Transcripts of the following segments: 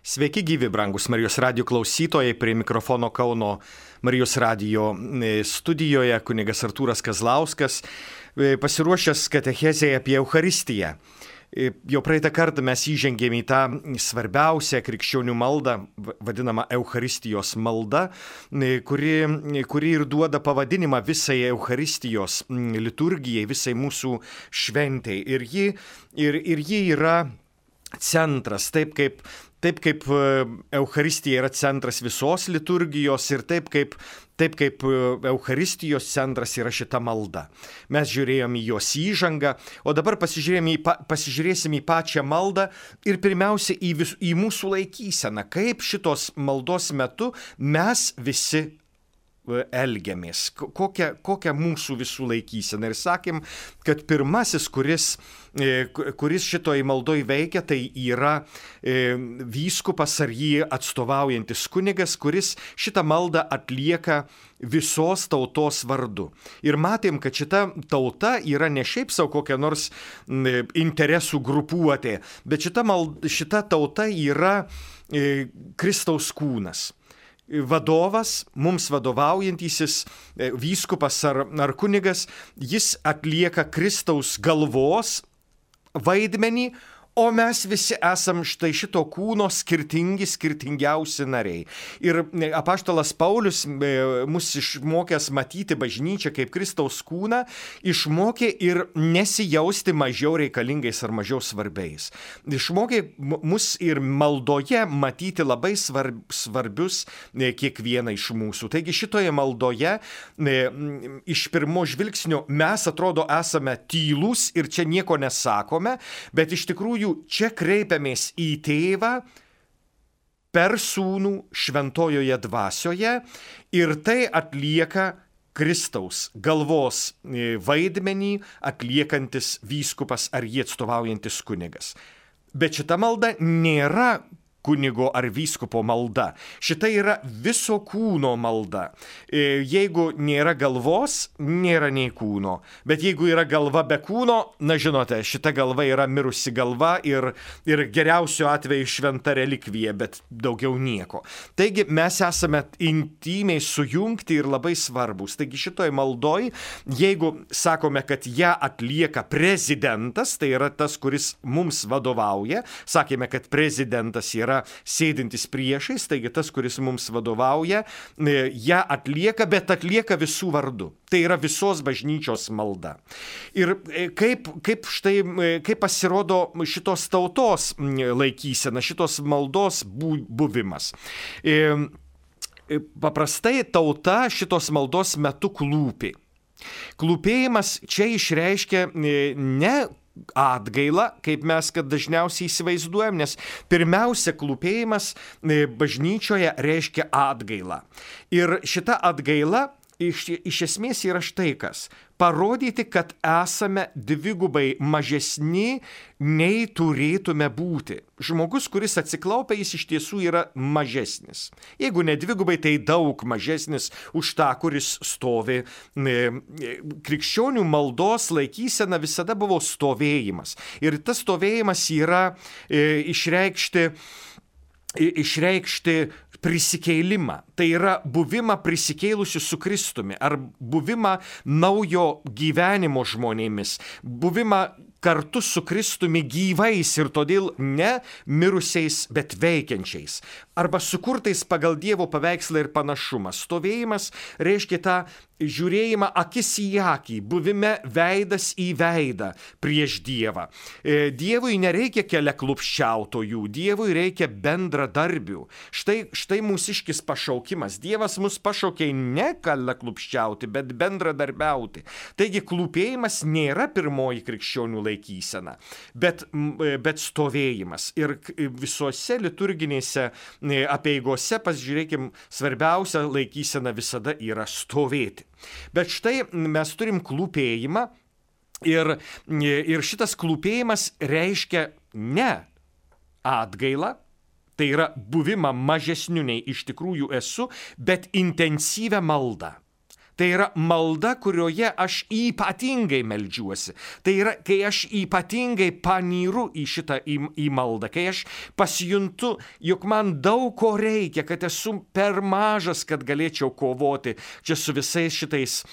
Sveiki gyvi, brangus Marijos radijo klausytojai, prie mikrofono Kauno Marijos radijo studijoje kunigas Artūras Kazlauskas, pasiruošęs katechezei apie Eucharistiją. Jau praeitą kartą mes įžengėme į tą svarbiausią krikščionių maldą, vadinamą Eucharistijos maldą, kuri ir duoda pavadinimą visai Eucharistijos liturgijai, visai mūsų šventei. Ir ji yra centras, taip kaip Eucharistija yra centras visos liturgijos ir taip kaip Eucharistijos centras yra šita malda. Mes žiūrėjome į jos įžangą, o dabar pasižiūrėsime į pačią maldą ir pirmiausia į mūsų laikyseną, kaip šitos maldos metu mes visi elgiamės, kokia mūsų visų laikysena. Ir sakėm, kad pirmasis, kuris šitoj maldoj veikia, tai yra vyskupas ar jį atstovaujantis kunigas, kuris šitą maldą atlieka visos tautos vardu. Ir matėm, kad šita tauta yra ne šiaip savo kokia nors interesų grupuotė, bet šita tauta yra Kristaus kūnas. Vadovas, mums vadovaujantysis vyskupas ar kunigas, jis atlieka Kristaus galvos vaidmenį, o mes visi esam štai šito kūno skirtingiausi nariai. Ir apaštalas Paulius, mus išmokęs matyti bažnyčią kaip Kristaus kūną, išmokė ir nesijausti mažiau reikalingais ar mažiau svarbiais. Išmokė mus ir maldoje matyti labai svarbius kiekvieną iš mūsų. Taigi šitoje maldoje iš pirmo žvilgsnio mes atrodo esame tylūs ir čia nieko nesakome, bet iš tikrųjų čia kreipiamės į Tėvą per Sūnų šventojoje dvasioje ir tai atlieka Kristaus galvos vaidmenį atliekantis vyskupas ar jį atstovaujantis kunigas. Bet šita malda nėra kunigo ar vyskupo malda. Šita yra viso kūno malda. Jeigu nėra galvos, nėra nei kūno. Bet jeigu yra galva be kūno, na žinote, šita galva yra mirusi galva ir geriausiu atveju šventa relikvija, bet daugiau nieko. Taigi mes esame intymiai sujungti ir labai svarbus. Taigi šitoj maldoj, jeigu sakome, kad ją atlieka prezidentas, tai yra tas, kuris mums vadovauja, sakėme, kad prezidentas yra sėdintis priešais, taigi tas, kuris mums vadovauja, ją atlieka, bet atlieka visų vardu. Tai yra visos bažnyčios malda. Ir kaip pasirodo šitos tautos laikysena, šitos maldos buvimas. Paprastai tauta šitos maldos metu klūpi. Klūpėjimas čia išreiškia ne atgailą, kaip mes kad dažniausiai įsivaizduojam, nes pirmiausia klūpėjimas bažnyčioje reiškia atgailą. Ir šita atgaila iš esmės yra štai kas. Parodyti, kad esame dvigubai mažesni, nei turėtume būti. Žmogus, kuris atsiklaupia, jis iš tiesų yra mažesnis. Jeigu ne dvigubai, tai daug mažesnis už tą, kuris stovi. Krikščionių maldos laikysena visada buvo stovėjimas. Ir tas stovėjimas yra išreikšti prisikėlimą. Tai yra buvimą prisikėlusiu su Kristumi, ar buvimą naujo gyvenimo žmonėmis, buvimą kartu su Kristumi gyvais ir todėl ne mirusiais, bet veikiančiais. Arba sukurtais pagal Dievo paveikslą ir panašumą. Stovėjimas reiškia tą žiūrėjimą akis į akį, buvime veidas į veidą prieš Dievą. Dievui nereikia keliaklupščiautojų, Dievui reikia bendradarbių. Štai mūsiškis pašaukimas. Dievas mus pašaukė ne keliaklupščiauti, bet bendradarbiauti. Taigi klūpėjimas nėra pirmoji krikščionių laikysena, bet stovėjimas. Ir visose liturginėse apeigose, pasižiūrėkim, svarbiausia laikysena visada yra stovėti. Bet štai mes turim klūpėjimą ir šitas klūpėjimas reiškia ne atgailą, tai yra buvimą mažesniu nei iš tikrųjų esu, bet intensyvią maldą. Tai yra malda, kurioje aš ypatingai meldžiuosi. Tai yra, kai aš ypatingai panyru į maldą, kai aš pasijuntu, jog man daug ko reikia, kad esu per mažas, kad galėčiau kovoti čia su visais šitais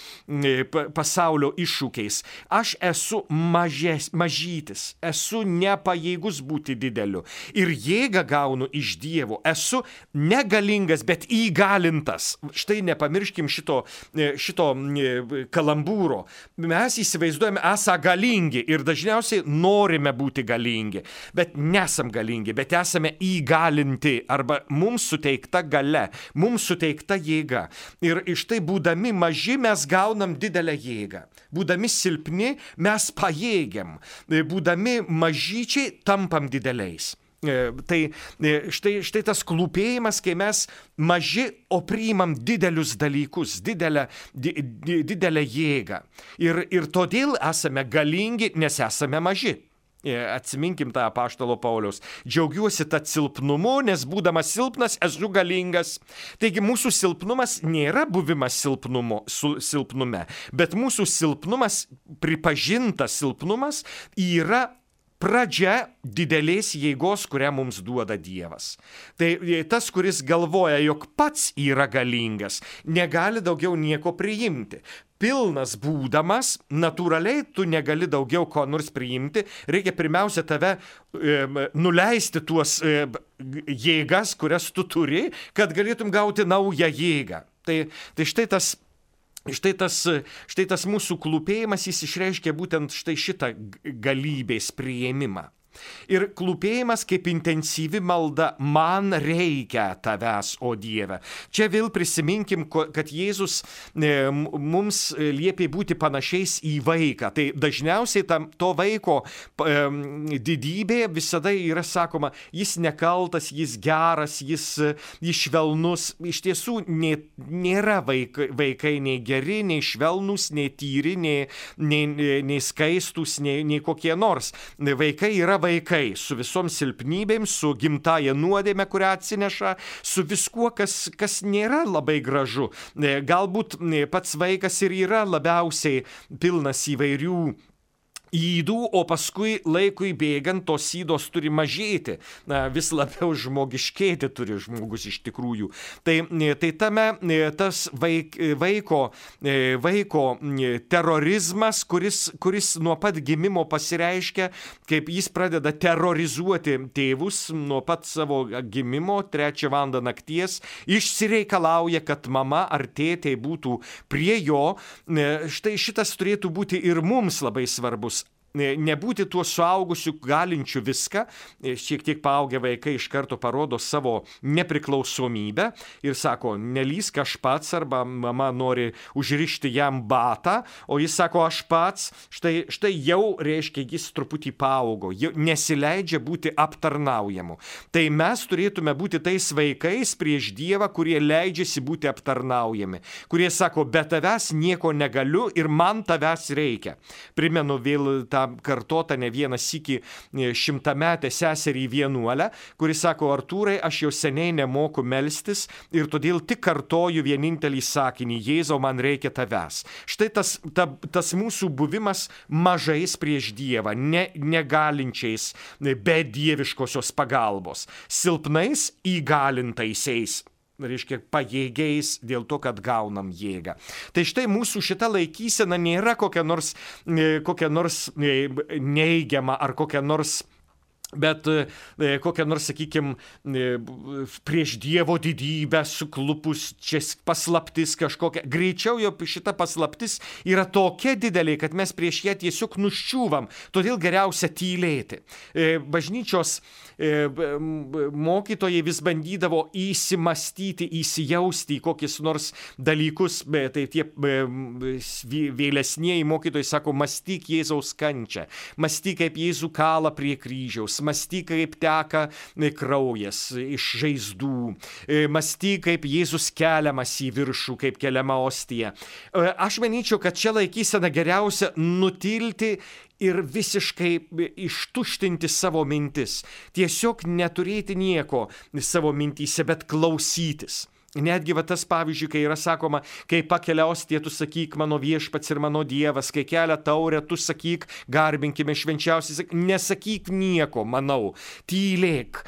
pasaulio iššūkiais. Aš esu mažytis, esu nepajėgus būti dideliu. Ir jėgą gaunu iš Dievo. Esu negalingas, bet įgalintas. Štai nepamirškim šito kalambūro. Mes įsivaizduojame esą galingi ir dažniausiai norime būti galingi, bet nesam galingi, bet esame įgalinti arba mums suteikta galia, mums suteikta jėga. Ir iš tai būdami maži mes gaunam didelę jėgą. Būdami silpni mes pajėgiam. Būdami mažyčiai tampam dideliais. Tai štai tas klūpėjimas, kai mes maži, o priimam didelius dalykus, didelę jėgą. Ir todėl esame galingi, nes esame maži. Atsiminkim tą apaštalo Pauliaus. Džiaugiuosi tą silpnumu, nes būdamas silpnas esu galingas. Taigi mūsų silpnumas nėra buvimas silpnume, bet mūsų silpnumas, pripažintas silpnumas, yra pradžia didelės jėgos, kurią mums duoda Dievas. Tai tas, kuris galvoja, jog pats yra galingas, negali daugiau nieko priimti. Pilnas būdamas, natūraliai tu negali daugiau ko nors priimti, reikia pirmiausia tave nuleisti tuos jėgas, kurias tu turi, kad galėtum gauti naują jėgą. Tai štai tas mūsų klūpėjimas, jis išreiškia būtent štai šitą galybės priėmimą. Ir klūpėjimas kaip intensyvi malda, man reikia tavęs, o Dieve. Čia vėl prisiminkim, kad Jėzus mums liepė būti panašiais į vaiką. Tai dažniausiai to vaiko didybė visada yra sakoma, jis nekaltas, jis geras, jis švelnus. Iš tiesų nėra vaikai nei geri, nei švelnus, nei tyri, nei skaistus, nei kokie nors. Vaikai yra vaikai su visom silpnybėm, su gimtaja nuodėme, kurią atsineša, su viskuo, kas nėra labai gražu. Galbūt pats vaikas ir yra labiausiai pilnas įvairių ydų, o paskui laikui bėgant tos ydos turi mažėti, vis labiau žmogiškėti turi žmogus iš tikrųjų. Tai tame tas vaiko terorizmas, kuris nuo pat gimimo pasireiškia, kaip jis pradeda terrorizuoti tėvus nuo pat savo gimimo, 3 valandą nakties, išsireikalauja, kad mama ar tėtė būtų prie jo. Štai šitas turėtų būti ir mums labai svarbus. Nebūti tuo suaugusiu galinčiu viską, šiek tiek paaugę vaikai iš karto parodo savo nepriklausomybę ir sako, nelysk aš pats, arba mama nori užrišti jam batą, o jis sako, aš pats, štai jau reiškia, jis truputį paaugo, nesileidžia būti aptarnaujamu. Tai mes turėtume būti tais vaikais prieš Dievą, kurie leidžiasi būti aptarnaujami, kurie sako, be tavęs nieko negaliu ir man tavęs reikia. Primenu vėl tą kartotą ne vieną sykį 100-metę seserį vienuolę, kuris sako, Artūrai, aš jau seniai nemoku melstis ir todėl tik kartoju vienintelį sakinį, Jėzau, man reikia tavęs. Štai tas mūsų buvimas mažais prieš Dievą, negalinčiais be dieviškosios pagalbos, silpnais įgalintaisiais. Reiškia, pajėgiais dėl to, kad gaunam jėgą. Tai štai mūsų šita laikysena nėra kokia nors neigiama ar kokia nors, bet kokia nors, sakykime, prieš Dievo didybę suklupus, čia paslaptis kažkokia. Greičiau jau šita paslaptis yra tokia didelė, kad mes prieš ją tiesiog nuščiūvam, todėl geriausia tylėti. Bažnyčios mokytojai vis bandydavo įsimastyti, įsijausti į kokius nors dalykus, tai tie vėlesnieji mokytojai sako, mąstyk Jėzaus kančią, mąstyk kaip Jėzų kalą prie kryžiaus, mąstyk kaip teka kraujas iš žaizdų, mąstyk kaip Jėzus keliamas į viršų, kaip keliama ostija. Aš manyčiau, kad čia laikysena geriausia nutilti ir visiškai ištuštinti savo mintis. Tiesiog neturėti nieko savo mintyse, bet klausytis. Netgi tas pavyzdžiui, kai yra sakoma, kai pakelia ostiją, tu sakyk mano viešpats ir mano Dievas, kai kelia taurę, tu sakyk garbinkime švenčiausiai, nesakyk nieko, manau, tylėk,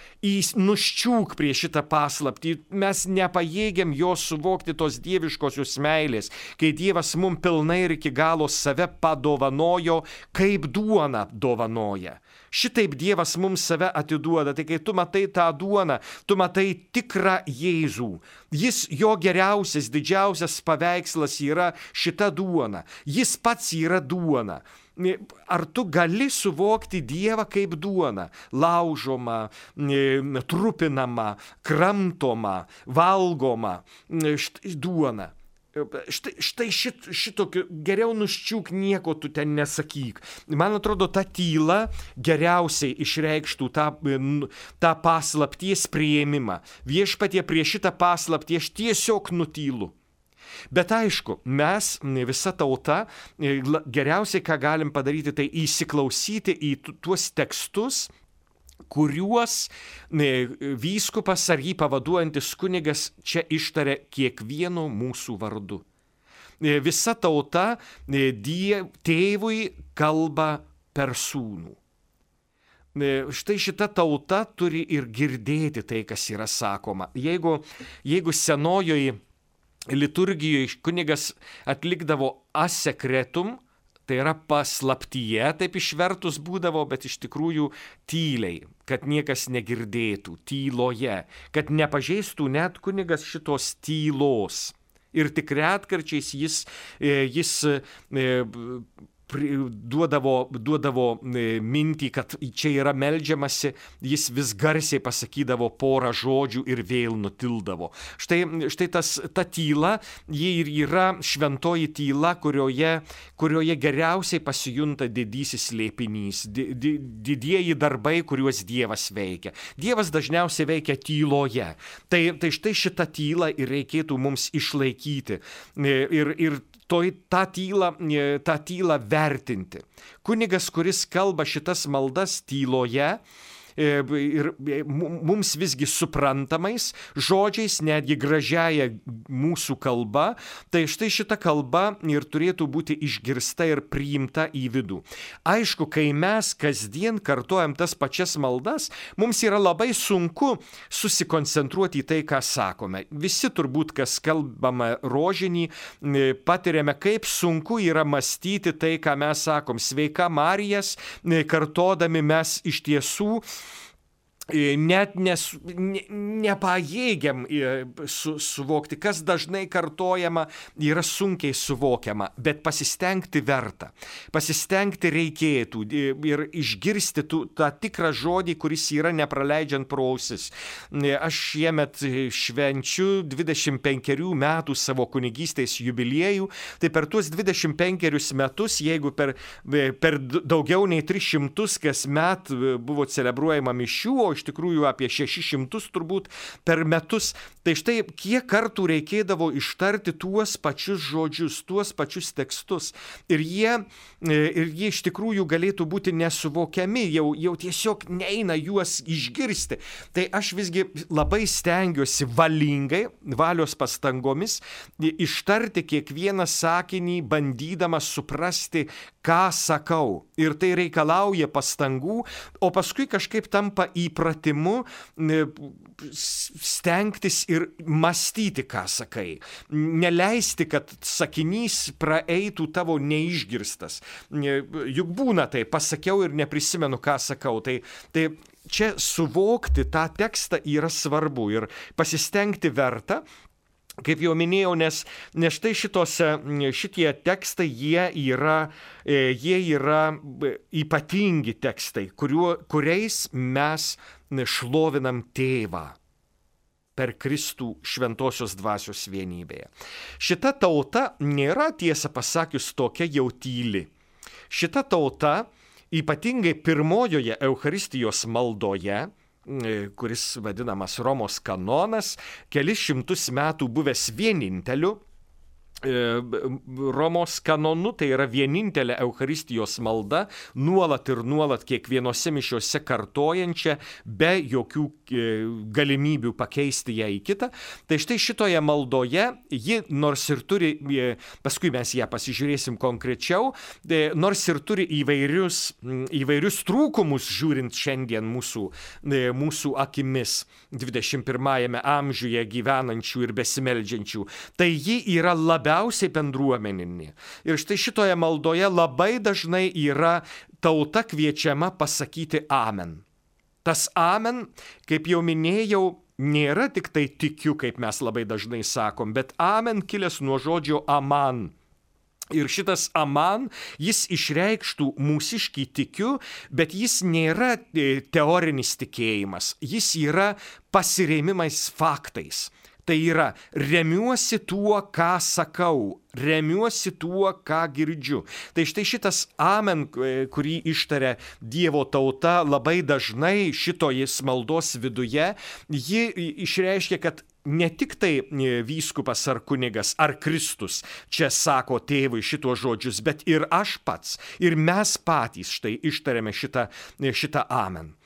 nuščiūk prie šitą paslaptį, mes nepajėgiam jos suvokti tos dieviškosios meilės, kai Dievas mums pilnai ir iki galo save padovanojo, kaip duona dovanoja. Šitaip Dievas mums save atiduoda, tai kai tu matai tą duoną, tu matai tikrą Jėzų. Jo geriausias, didžiausias paveikslas yra šita duona. Jis pats yra duona. Ar tu gali suvokti Dievą kaip duoną? Laužoma, trupinama, kramtoma, valgoma duona. Štai šitokio, geriau nuščiūk, nieko tu ten nesakyk. Man atrodo, ta tyla geriausiai išreikštų tą paslapties priėmimą. Viešpatie, prie šitą paslaptį aš tiesiog nutylu. Bet aišku, mes, visa tauta, geriausiai, ką galim padaryti, tai įsiklausyti į tuos tekstus, kuriuos vyskupas ar jį pavaduojantis kunigas čia ištarė kiekvieno mūsų vardu. Visa tauta tėvui kalba per sūnų. Štai šita tauta turi ir girdėti tai, kas yra sakoma. Jeigu senojoje liturgijoje kunigas atlikdavo asekretum, tai yra paslaptyje, taip išvertus būdavo, bet iš tikrųjų tyliai, kad niekas negirdėtų, tyloje, kad nepažeistų net kunigas šitos tylos. Ir tik retkarčiais jis duodavo mintį, kad čia yra meldžiamasi, jis vis garsiai pasakydavo porą žodžių ir vėl nutildavo. Štai ta tyla, ji ir yra šventoji tyla, kurioje geriausiai pasijunta didysis slėpinys, didieji darbai, kuriuos Dievas veikia. Dievas dažniausiai veikia tyloje. Tai štai šitą tylą ir reikėtų mums išlaikyti. Ir tą tylą vertinti. Kunigas, kuris kalba šitas maldas tyloje, ir mums visgi suprantamais žodžiais, netgi gražiaja mūsų kalba, tai štai šita kalba ir turėtų būti išgirsta ir priimta į vidų. Aišku, kai mes kasdien kartojam tas pačias maldas, mums yra labai sunku susikoncentruoti į tai, ką sakome. Visi turbūt, kas kalbame rožinį, patiriame, kaip sunku yra mąstyti tai, ką mes sakom. Sveika Marijas, kartodami mes iš tiesų net nepajėgiam suvokti, kas dažnai kartojama, yra sunkiai suvokiama, bet pasistengti verta. Pasistengti reikėtų ir išgirsti tą tikrą žodį, kuris yra nepraleidžiant pro ausis. Aš šiemet švenčiu 25 metų savo kunigystės jubiliejų, tai per tuos 25 metus, jeigu per daugiau nei 300 kasmet buvo celebruojama mišių, o iš tikrųjų apie 600 turbūt per metus. Tai štai kiek kartų reikėdavo ištarti tuos pačius žodžius, tuos pačius tekstus. Ir jie iš tikrųjų galėtų būti nesuvokiami, jau tiesiog neina juos išgirsti. Tai aš visgi labai stengiuosi valingai, valios pastangomis, ištarti kiekvieną sakinį, bandydamas suprasti, ką sakau. Ir tai reikalauja pastangų, o paskui kažkaip tampa įpratimu stengtis ir mąstyti, ką sakai. Neleisti, kad sakinys praeitų tavo neišgirstas. Juk būna tai, pasakiau ir neprisimenu, ką sakau. Tai čia suvokti tą tekstą yra svarbu ir pasistengti verta. Kaip jau minėjau, nes štai šitie tekstai, jie yra ypatingi tekstai, kuriais mes šlovinam Tėvą per Kristų šventosios dvasios vienybėje. Šita tauta nėra, tiesą pasakius, tokia jau tyli. Šita tauta, ypatingai pirmojoje Eucharistijos maldoje, kuris vadinamas Romos kanonas, kelis šimtus metų buvęs vieninteliu, Romos kanonu, tai yra vienintelė Eucharistijos malda, nuolat ir nuolat kiekvienose mišiose kartojančia, be jokių galimybių pakeisti ją į kitą. Tai štai šitoje maldoje ji nors ir turi, paskui mes ją pasižiūrėsim konkrečiau, nors ir turi įvairius trūkumus, žiūrint šiandien mūsų akimis 21 amžiuje gyvenančių ir besimeldžiančių, tai ji yra labiausiai bendruomeninė. Ir štai šitoje maldoje labai dažnai yra tauta kviečiama pasakyti amen. Tas amen, kaip jau minėjau, nėra tik tai tikiu, kaip mes labai dažnai sakom, bet amen kilęs nuo žodžio aman. Ir šitas aman, jis išreikštų mūsiškį tikiu, bet jis nėra teorinis tikėjimas, jis yra pasirėmimais faktais. Tai yra, remiuosi tuo, ką sakau, remiuosi tuo, ką girdžiu. Tai štai šitas amen, kurį ištaria Dievo tauta labai dažnai šitoje maldos viduje, ji išreiškia, kad ne tik tai vyskupas ar kunigas ar Kristus čia sako tėvui šitos žodžius, bet ir aš pats, ir mes patys štai ištariame šitą amen.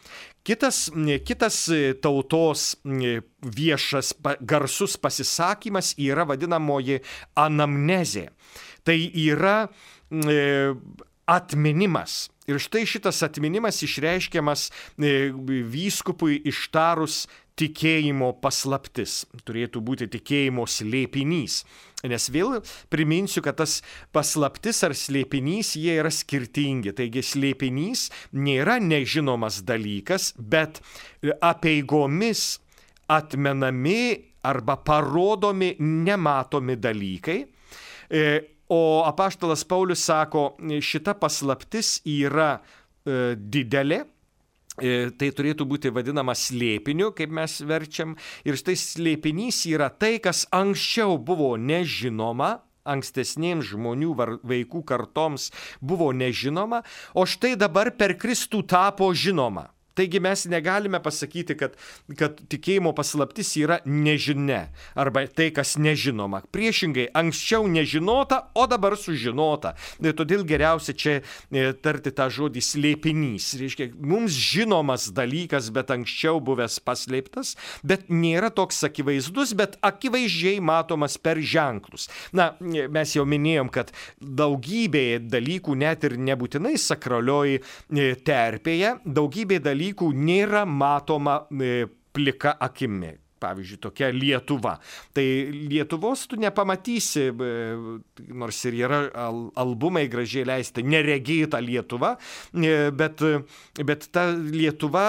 Kitas tautos viešas garsus pasisakymas yra vadinamoji anamnezė. Tai yra atminimas. Ir štai šitas atminimas išreiškiamas vyskupui ištarus tikėjimo paslaptis. Turėtų būti tikėjimo slėpinys. Nes vėl priminsiu, kad tas paslaptis ar slėpinys, jie yra skirtingi. Taigi slėpinys nėra nežinomas dalykas, bet apeigomis atmenami arba parodomi nematomi dalykai. O apaštalas Paulius sako, šita paslaptis yra didelė. Tai turėtų būti vadinama slėpiniu, kaip mes verčiam. Ir štai slėpinys yra tai, kas anksčiau buvo nežinoma, ankstesnėms žmonių vaikų kartoms buvo nežinoma, o štai dabar per Kristų tapo žinoma. Taigi mes negalime pasakyti, kad tikėjimo paslaptis yra nežinia arba tai, kas nežinoma. Priešingai, anksčiau nežinota, o dabar sužinota. Todėl geriausia čia tarti tą žodį slėpinys. Reiškia, mums žinomas dalykas, bet anksčiau buvęs paslėptas, bet nėra toks akivaizdus, bet akivaizdžiai matomas per ženklus. Na, mes jau minėjom, kad daugybė dalykų, net ir nebūtinai sakralioj terpėje, daugybė dalykų nėra matoma plika akimi. Pavyzdžiui, tokia Lietuva. Tai Lietuvos tu nepamatysi, nors ir yra albumai gražiai leisti, neregėta Lietuva, bet ta Lietuva,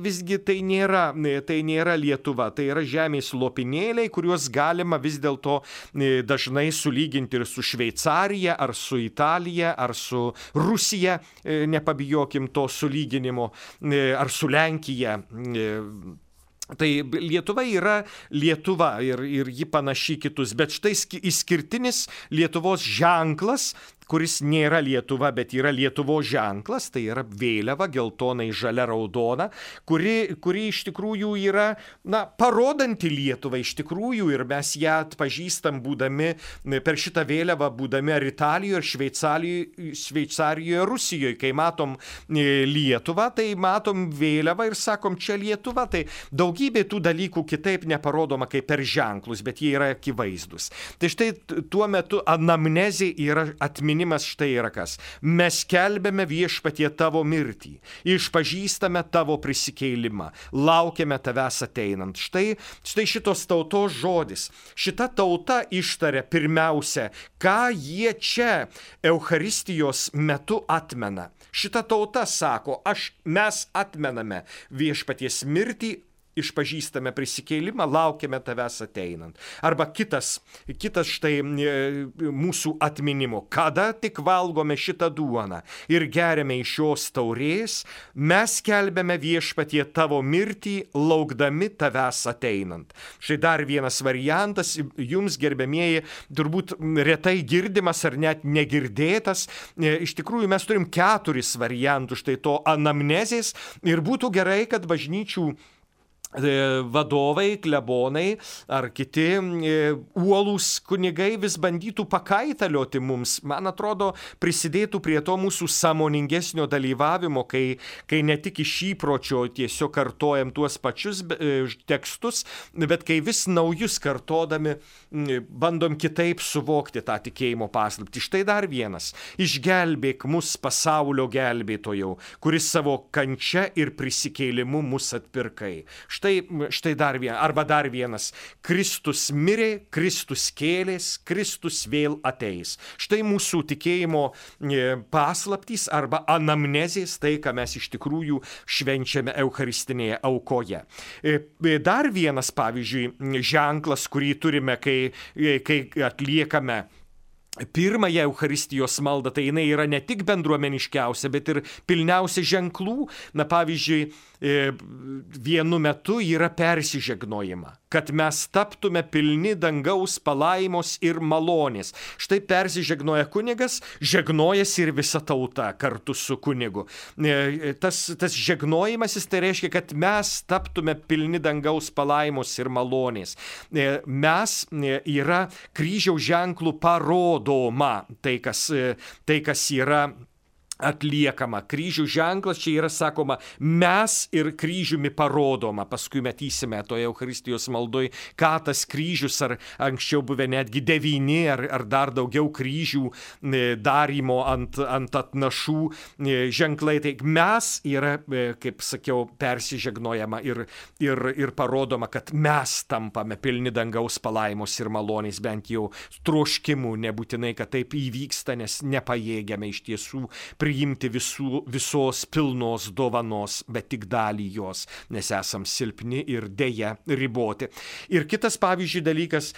visgi tai nėra Lietuva, tai yra žemės lopinėliai, kuriuos galima vis dėlto dažnai sulyginti ir su Šveicarija, ar su Italija, ar su Rusija, nepabijokim to sulyginimo, ar su Lenkija. Tai Lietuva yra Lietuva ir ji panaši kitus, bet štai išskirtinis Lietuvos ženklas, kuris nėra Lietuva, bet yra Lietuvos ženklas, tai yra vėliava geltonai žalia raudona, kuri iš tikrųjų yra, parodanti Lietuvą iš tikrųjų, ir mes ją atpažįstam būdami per šitą vėliavą, būdami ar Italijoje, ar Šveicarijoje, Rusijoje. Kai matom Lietuvą, tai matom vėliavą ir sakom, čia Lietuva. Tai daugybė tų dalykų kitaip neparodoma kaip per ženklus, bet jie yra akivaizdus. Tai štai tuo metu anamnezė yra atminimas. Štai yra kas. Mes skelbiame viešpatie tavo mirtį, išpažįstame tavo prisikėlimą, laukiame tavęs ateinant. Štai šitos tautos žodis. Šita tauta ištaria pirmiausia, ką jie čia Eucharistijos metu atmena. Šita tauta sako, mes atmename viešpaties mirtį, išpažįstame prisikėlimą, laukiame tavęs ateinant. Arba kitas štai mūsų atminimo. Kada tik valgome šitą duoną ir geriame iš šios taurės, mes skelbiame viešpatie tavo mirtį, laukdami tavęs ateinant. Štai dar vienas variantas, jums gerbiamieji, turbūt retai girdimas ar net negirdėtas. Iš tikrųjų mes turim 4 variantus štai to anamnezės ir būtų gerai, kad bažnyčių vadovai, klebonai ar kiti uolūs kunigai vis bandytų pakaitalioti mums, man atrodo, prisidėtų prie to mūsų sąmoningesnio dalyvavimo, kai ne tik iš įpročio tiesiog kartojam tuos pačius tekstus, bet kai vis naujus kartodami bandom kitaip suvokti tą tikėjimo paslaptį. Štai dar vienas. Išgelbėk mus, pasaulio gelbėtojau, kuris savo kančia ir prisikėlimu mus atpirkai. Štai dar vienas. Kristus mirė, Kristus kėlės, Kristus vėl ateis. Štai mūsų tikėjimo paslaptys arba anamnezės, tai, ką mes iš tikrųjų švenčiame eucharistinėje aukoje. Dar vienas, pavyzdžiui, ženklas, kurį turime, kai atliekame pirmąją Eucharistijos maldą, tai jinai yra ne tik bendruomeniškiausia, bet ir pilniausia ženklų. Na, pavyzdžiui, vienu metu yra persižegnojama, kad mes taptume pilni dangaus palaimos ir malonės. Štai persižegnoja kunigas, žegnojasi ir visa tauta kartu su kunigu. Tas žegnojimasis tai reiškia, kad mes taptume pilni dangaus palaimos ir malonės. Mes yra kryžiaus ženklų parodoma, tai kas yra atliekama. Kryžių ženklas čia yra sakoma, mes ir kryžiumi parodoma. Paskui matysime toje Eucharistijos maldoj, ką tas kryžius, ar anksčiau buvę netgi 9 ar dar daugiau kryžių darymo ant atnašų ženklai. Tai mes yra, kaip sakiau, persižegnojama ir parodoma, kad mes tampame pilni dangaus palaimos ir malonės, bent jau troškimų, nebūtinai, kad taip įvyksta, nes nepajėgiame iš tiesų priimti visos pilnos dovanos, bet tik dalį jos, nes esam silpni ir deja riboti. Ir kitas, pavyzdžiui, dalykas,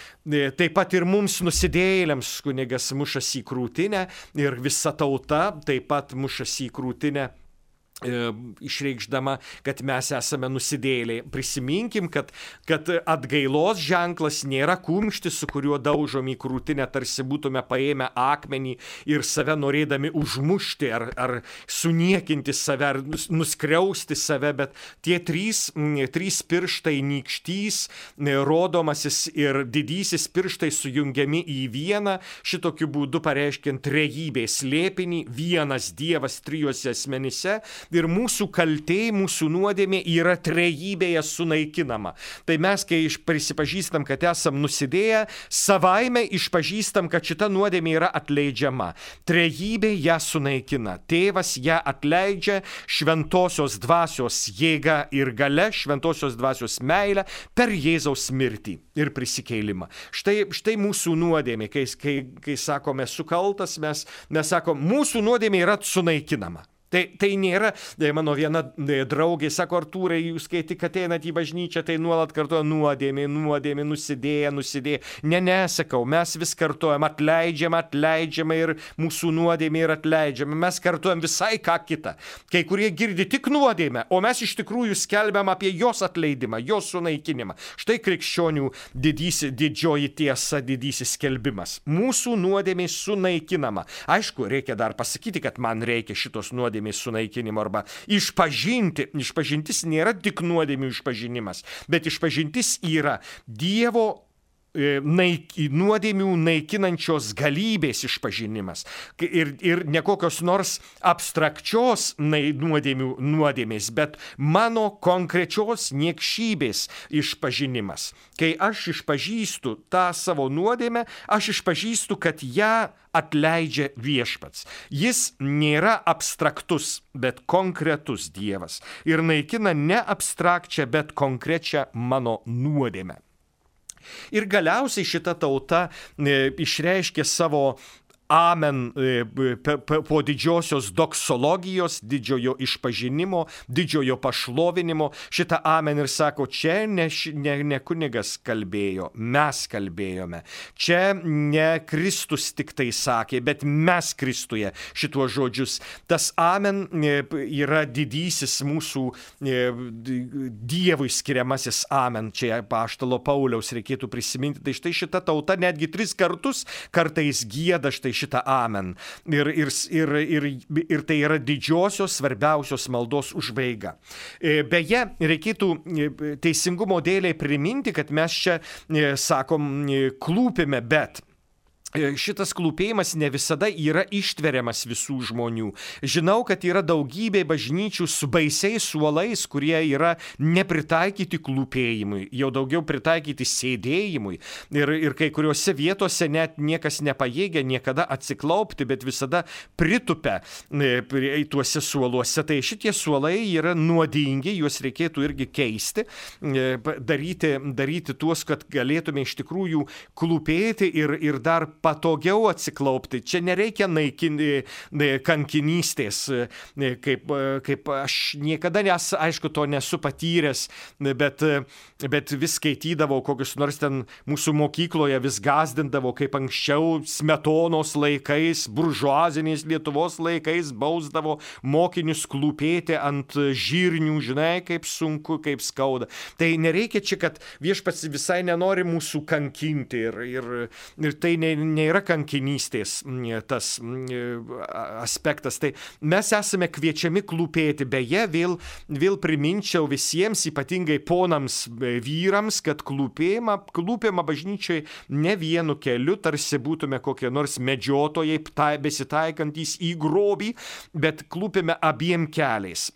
taip pat ir mums nusidėjėliams kunigas mušasi į krūtinę ir visa tauta taip pat mušasi į krūtinę, išreikšdama, kad mes esame nusidėjėliai. Prisiminkim, kad atgailos ženklas nėra kumštis, su kuriuo daužom į krūtinę, tarsi būtume paėmę akmenį ir save norėdami užmušti ar suniekinti save, ar nuskriausti save, bet tie trys pirštai, nykštys, rodomasis ir didysis pirštai sujungiami į vieną, šitokiu būdu pareiškiant trejybės slėpinį, vienas Dievas trijuose asmenyse. Ir mūsų kaltė, mūsų nuodėmė yra trejybėje sunaikinama. Tai mes, kai prisipažįstam, kad esam nusidėję, savaime išpažįstam, kad šita nuodėmė yra atleidžiama. Trejybė ją sunaikina. Tėvas ją atleidžia šventosios dvasios jėga ir galia, šventosios dvasios meilę per Jėzaus mirtį ir prisikėlimą. Štai mūsų nuodėmė, kai sakome sukaltas, mes sakom, mūsų nuodėmė yra sunaikinama. Tai nėra, mano viena draugė sako, Artūrai, jūs kai tik ateinat į bažnyčią, tai nuolat kartuoja nuodėmė, nusidėję. Ne, sakau, mes vis kartuojam, atleidžiama ir mūsų nuodėmė yra atleidžiama. Mes kartuojam visai ką kitą. Kai kurie girdi tik nuodėmę, o mes iš tikrųjų skelbiam apie jos atleidimą, jos sunaikinimą. Štai krikščionių didžioji tiesa, didysis skelbimas. Mūsų nuodėmė sunaikinama. Aišku, reikia dar pasakyti, kad man reikia šitos nuodėmės sunaikinimo arba išpažinti. Išpažintis nėra tik nuodėmių išpažinimas, bet išpažintis yra Dievo nuodėmių naikinančios galybės išpažinimas ir ne kokios nors abstrakčios nuodėmės, bet mano konkrečios niekšybės išpažinimas. Kai aš išpažįstu tą savo nuodėmę, aš išpažįstu, kad ją atleidžia viešpats. Jis nėra abstraktus, bet konkretus Dievas ir naikina ne abstrakčią, bet konkrečią mano nuodėmę. Ir galiausiai šita tauta išreiškė savo amen po didžiosios doksologijos, didžiojo išpažinimo, didžiojo pašlovinimo. Šitą amen ir sako, čia ne kunigas kalbėjo, mes kalbėjome. Čia ne Kristus tik tai sakė, bet mes Kristuje šituos žodžius. Tas amen yra didysis mūsų Dievui skiriamasis amen. Čia apaštalo Pauliaus reikėtų prisiminti. Tai štai šita tauta netgi 3 kartus kartais gieda štai šitą amen. Ir tai yra didžiosios, svarbiausios maldos užbaiga. Beje, reikėtų teisingumo dėliai priminti, kad mes čia, sakom, klūpime, bet šitas klūpėjimas ne visada yra ištveriamas visų žmonių. Žinau, kad yra daugybė bažnyčių su baisiais suolais, kurie yra nepritaikyti klūpėjimui, jau daugiau pritaikyti sėdėjimui. Ir kai kuriuose vietose net niekas nepajėgia niekada atsiklaupti, bet visada pritupia tuose suoluose. Tai šitie suolai yra nuodingi, juos reikėtų irgi keisti, daryti tuos, kad galėtume iš tikrųjų klūpėti ir dar patogiau atsiklaupti. Čia nereikia naikinti kankinystės, kaip aš niekada aišku, to nesu patyręs, bet vis skaitydavau kokius nors ten mūsų mokykloje, vis gazdindavo, kaip anksčiau Smetonos laikais, buržuazinės Lietuvos laikais bausdavo mokinius klūpėti ant žirnių, žinai, kaip sunku, kaip skauda. Tai nereikia čia, kad viešpats visai nenori mūsų kankinti ir tai nėra kankinystės tas aspektas. Tai mes esame kviečiami klūpėti. Beje, vėl priminčiau visiems, ypatingai ponams vyrams, kad klūpėma bažnyčiai ne vienu keliu, tarsi būtume kokie nors medžiotojai besitaikantys į grobį, bet klūpėme abiem keliais.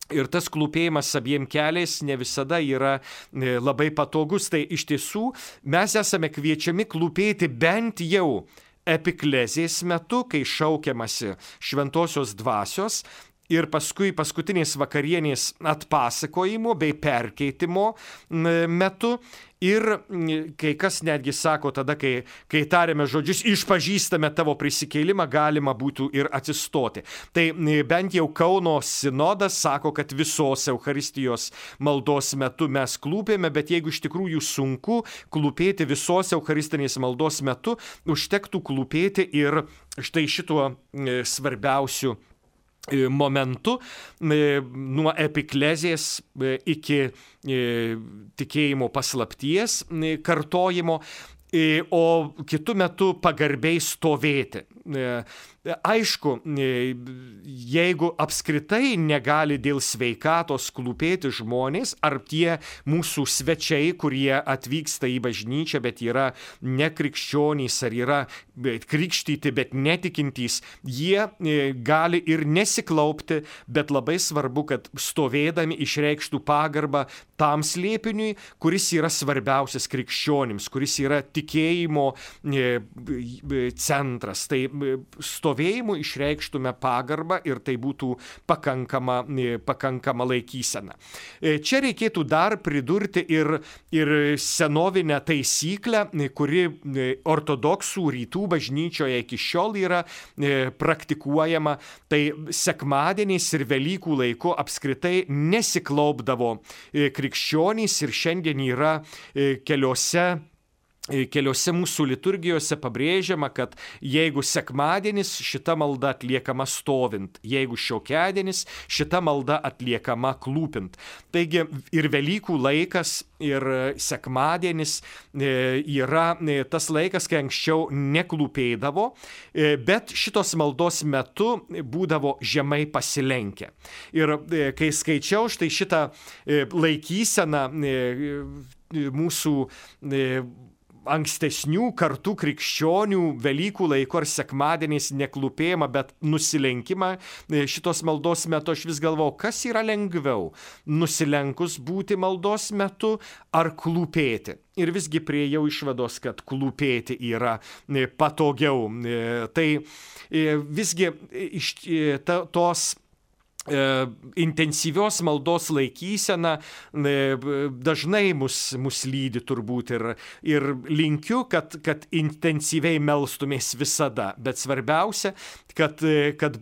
Ir tas klūpėjimas abiem keliais ne visada yra labai patogus. Tai iš tiesų mes esame kviečiami klūpėti bent jau epiklezės metu, kai šaukiamasi šventosios dvasios, ir paskui paskutinės vakarienės atpasakojimo bei perkeitimo metu. Ir kai kas netgi sako tada, kai tariame žodžius, išpažįstame tavo prisikėlimą, galima būtų ir atsistoti. Tai bent jau Kauno sinodas sako, kad visos Eucharistijos maldos metu mes klūpėme, bet jeigu iš tikrųjų sunku klūpėti visos Eucharistinės maldos metu, užtektų klūpėti ir štai šituo svarbiausiu momentu nuo epiklezės iki tikėjimo paslapties kartojimo, o kitu metu pagarbiai stovėti. Aišku, jeigu apskritai negali dėl sveikatos klūpėti žmonės, ar tie mūsų svečiai, kurie atvyksta į bažnyčią, bet yra nekrikščionys, ar yra krikštyti, bet netikintys, jie gali ir nesiklaupti, bet labai svarbu, kad stovėdami išreikštų pagarbą tam slėpiniui, kuris yra svarbiausias krikščionims, kuris yra tikėjimo centras. Tai stovėjimu išreikštume pagarbą ir tai būtų pakankama laikysena. Čia reikėtų dar pridurti ir senovinę taisyklę, kuri ortodoksų rytų bažnyčioje iki šiol yra praktikuojama. Tai sekmadieniais ir Velykų laiku apskritai nesiklaupdavo krikščionys ir šiandien yra keliose mūsų liturgijose pabrėžiama, kad jeigu sekmadienis, šita malda atliekama stovint, jeigu šiokiadienis, šita malda atliekama klūpint. Taigi ir Velykų laikas, ir sekmadienis yra tas laikas, kai anksčiau neklūpėdavo, bet šitos maldos metu būdavo žemai pasilenkę. Ir kai skaičiau štai šitą laikyseną mūsų ankstesnių kartų krikščionių Velykų laiku ar sekmadieniais neklūpėjimą, bet nusilenkimą šitos maldos metu, aš vis galvojau, kas yra lengviau, nusilenkus būti maldos metu ar klūpėti. Ir visgi priėjau išvados, kad klūpėti yra patogiau. Tai visgi tos intensyvios maldos laikysena dažnai mus lydi turbūt ir linkiu, kad intensyviai melstumės visada, bet svarbiausia, kad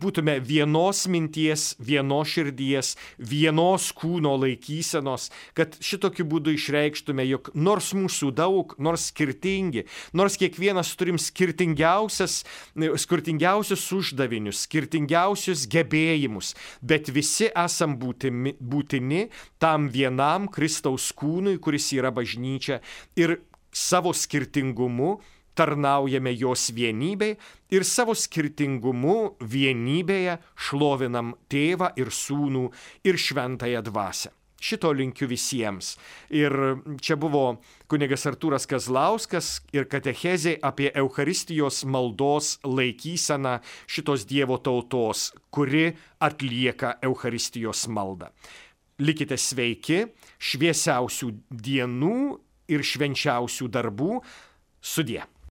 būtume vienos minties, vienos širdies, vienos kūno laikysenos, kad šitokiu būdu išreikštume, jog nors mūsų daug, nors skirtingi, nors kiekvienas turim skirtingiausius uždavinius, skirtingiausius gebėjimus, bet visi esam būtini tam vienam Kristaus kūnui, kuris yra bažnyčia, ir savo skirtingumu tarnaujame jos vienybei ir savo skirtingumu vienybėje šlovinam Tėvą ir Sūnų ir Šventąją Dvasią. Šito linkiu visiems. Ir čia buvo kunigas Artūras Kazlauskas ir katechezė apie Eucharistijos maldos laikyseną šitos Dievo tautos, kuri atlieka Eucharistijos maldą. Likite sveiki, šviesiausių dienų ir švenčiausių darbų. Sudie.